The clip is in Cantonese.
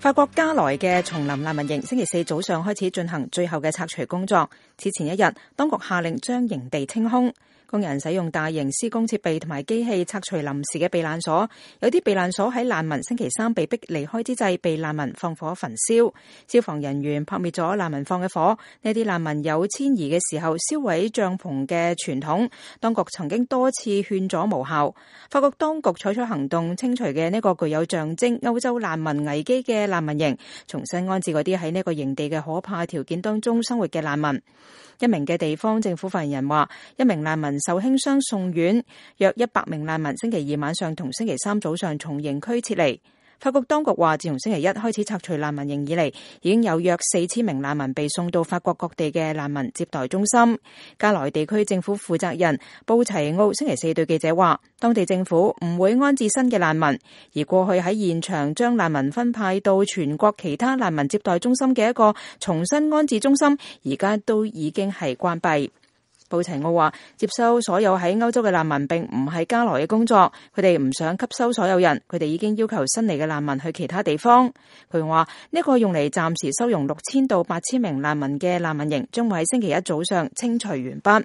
法國加萊嘅叢林難民營星期四早上開始進行最後嘅拆除工作。此前一日，當局下令將營地清空，工人使用大型施工設備同埋機器拆除臨時嘅避難所。有啲避難所喺難民星期三被逼離開之際，被難民放火焚燒。消防人員撲滅咗難民放嘅火。呢啲難民有遷移嘅時候燒毀帳篷嘅傳統，當局曾經多次勸阻無效。法國當局採取行動清除嘅呢個具有象徵歐洲難民危機嘅難民營，重新安置嗰啲喺呢個營地嘅可怕條件當中生活嘅難民。一名嘅地方政府發言人話，一名難民受輕傷送院，約100名難民星期二晚上同星期三早上從營區撤離。法國當局話，自從星期一開始拆除難民營以嚟，已經有約4000名難民被送到法國各地嘅難民接待中心。加萊地區政府負責人布齊奧星期四對記者話，當地政府唔會安置新嘅難民，而過去喺現場將難民分派到全國其他難民接待中心嘅一個重新安置中心，而家都已經係關閉。布齊奧話，接收所有喺歐洲嘅難民並唔係加萊嘅工作，佢哋唔想吸收所有人，佢哋已經要求新嚟嘅難民去其他地方。佢話呢個用嚟暫時收容6000到8000名難民嘅難民營將會喺星期一早上清除完畢。